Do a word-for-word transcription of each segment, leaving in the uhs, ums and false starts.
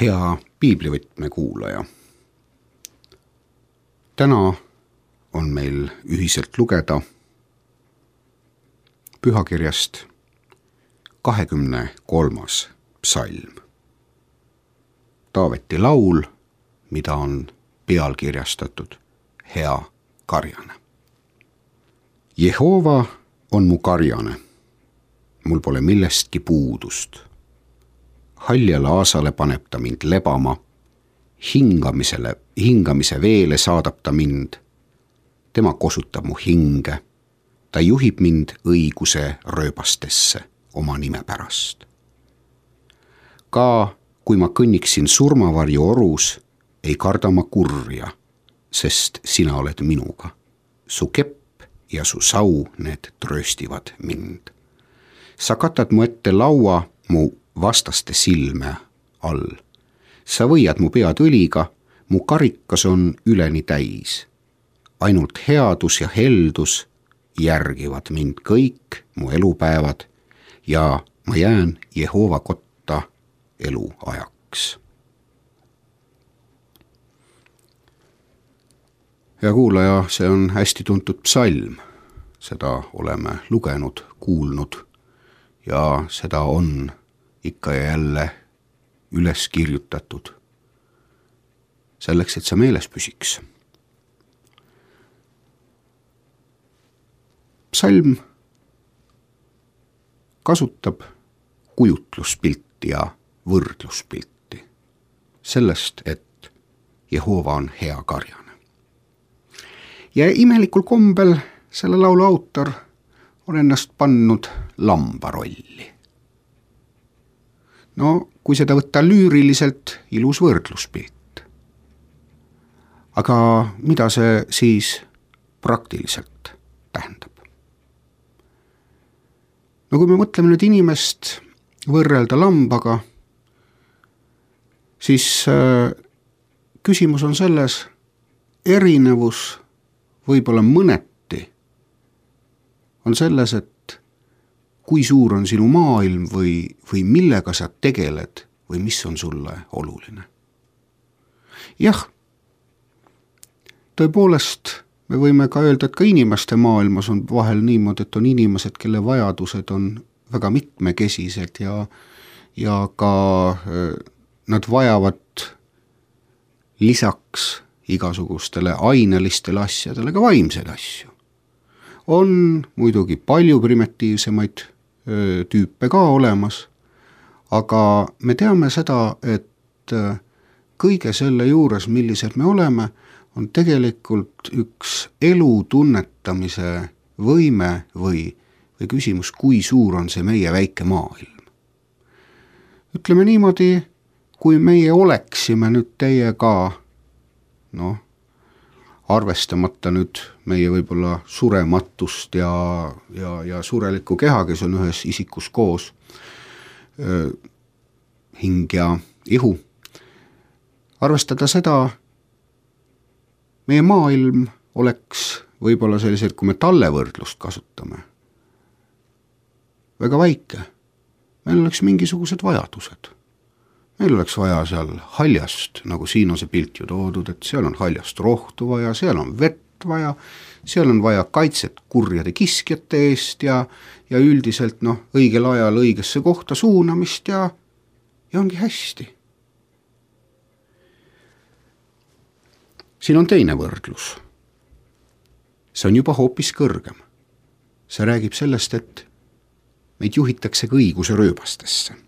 Hea piiblivõtme kuulaja. Täna on meil ühiselt lugeda pühakirjast kahekümne kolmas psalm. Taaveti laul, mida on pealkirjastatud Hea karjane. Jehova on mu karjane, mul pole millestki puudust. Haljale aasale paneb ta mind lebama, hingamisele, hingamise veele saadab ta mind. Tema kosutab mu hinge, ta juhib mind õiguse rööbastesse oma nime pärast. Ka kui ma kõnniksin surmavarju orus, ei karda ma kurja, sest sina oled minuga. Su kepp ja su sau, need trööstivad mind. Sa katad mu ette laua mu vastaste silme all. Sa võiad mu pead õliga, mu karikas on üleni täis. Ainult headus ja heldus järgivad mind kõik mu elupäevad ja ma jään Jehova kotta eluajaks. Ja kuulaja, see on hästi tuntud psalm. Seda oleme lugenud, kuulnud ja seda on ikka ja jälle üles kirjutatud selleks, et see meeles püsiks. Psalm kasutab kujutluspilti ja võrdluspilti sellest, et Jehova on hea karjane. Ja imelikul kombel selle laulu autor on ennast pannud lamba rolli. No, kui seda võtta lüüriliselt, ilus võrdluspilt. Aga mida see siis praktiliselt tähendab? No kui me mõtleme nüüd inimest võrrelda lambaga, siis äh, küsimus on selles, erinevus võib-olla mõneti on selles, et kui suur on sinu maailm või, või millega sa tegeled või mis on sulle oluline. Jah, tõepoolest me võime ka öelda, et ka inimeste maailmas on vahel niimoodi, et on inimesed, kelle vajadused on väga mitmekesised ja, ja ka nad vajavad lisaks igasugustele ainelistele asjadele ka vaimseid asju. On muidugi palju primitiivsemaid öö, tüüpe ka olemas, aga me teame seda, et öö, kõige selle juures, millised me oleme, on tegelikult üks elu tunnetamise võime või, või küsimus, kui suur on see meie väike maailm. Ütleme niimoodi, kui meie oleksime nüüd teiega, noh, arvestamata nüüd meie võib-olla surematust ja, ja, ja surelikku keha, kes on ühes isikus koos, öö, hing ja ihu. Arvestada seda, meie maailm oleks võib-olla sellised, kui me tallevõrdlust kasutame, väga väike. Meil oleks mingisugused vajadused. Meil oleks vaja seal haljast, nagu siin on see pilt ju toodud, et seal on haljast rohtu vaja, seal on vett vaja, seal on vaja kaitset kurjade kiskjate eest ja, ja üldiselt noh, õigel ajal õigesse kohta suunamist ja, ja ongi hästi. Siin on teine võrdlus. See on juba hoopis kõrgem. See räägib sellest, et meid juhitakse ka õiguse rööbastesse.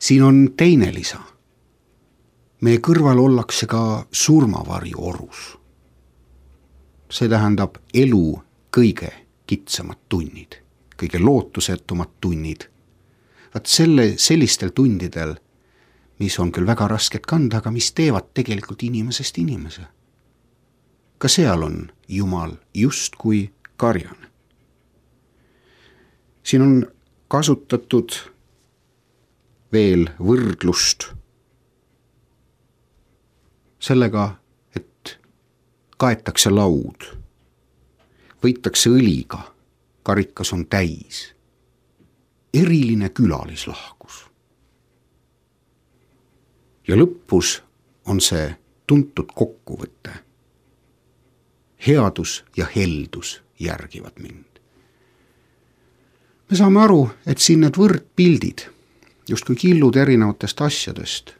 Siin on teine lisa. Meie kõrval ollakse ka surmavarju orus. See tähendab elu kõige kitsamad tunnid, kõige lootusetumad tunnid. Vaat selle, sellistel tundidel, mis on küll väga rasket kanda, aga mis teevad tegelikult inimesest inimese. Ka seal on Jumal just kui karjane. Siin on kasutatud veel võrdlust sellega, et kaetakse laud, võitakse õliga, karikas on täis. Eriline külalislahkus. ja lõpus on see tuntud kokkuvõte. Headus ja heldus järgivad mind. Me saame aru, et siin need võrdpildid, justkui killud erinevatest asjadest,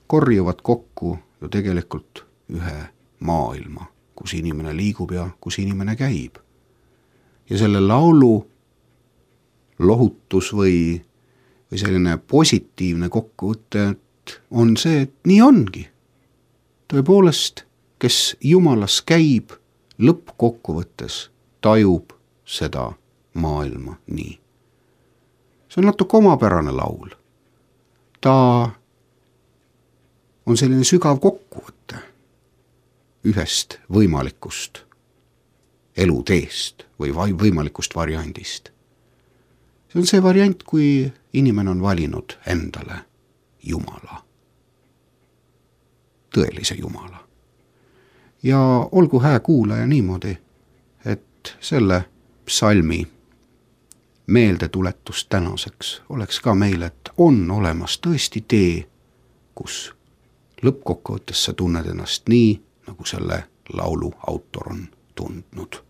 korjuvad kokku ju tegelikult ühe maailma, kus inimene liigub ja kus inimene käib. Ja selle laulu lohutus või, või selline positiivne kokkuvõte on see, et nii ongi. Tõepoolest, kes Jumalas käib, lõppkokkuvõttes tajub seda maailma nii. See on natuke omapärane laul. Ta on selline sügav kokkuvõte ühest võimalikust eluteest või võimalikust variandist. See on see variant, kui inimene on valinud endale Jumala, tõelise Jumala. Ja olgu hää kuulaja niimoodi, et selle psalmi meeldetuletus tänaseks oleks ka meile, et on olemas tõesti tee, kus lõppkokkuvõttes sa tunned ennast nii, nagu selle laulu autor on tundnud.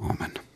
Aamen.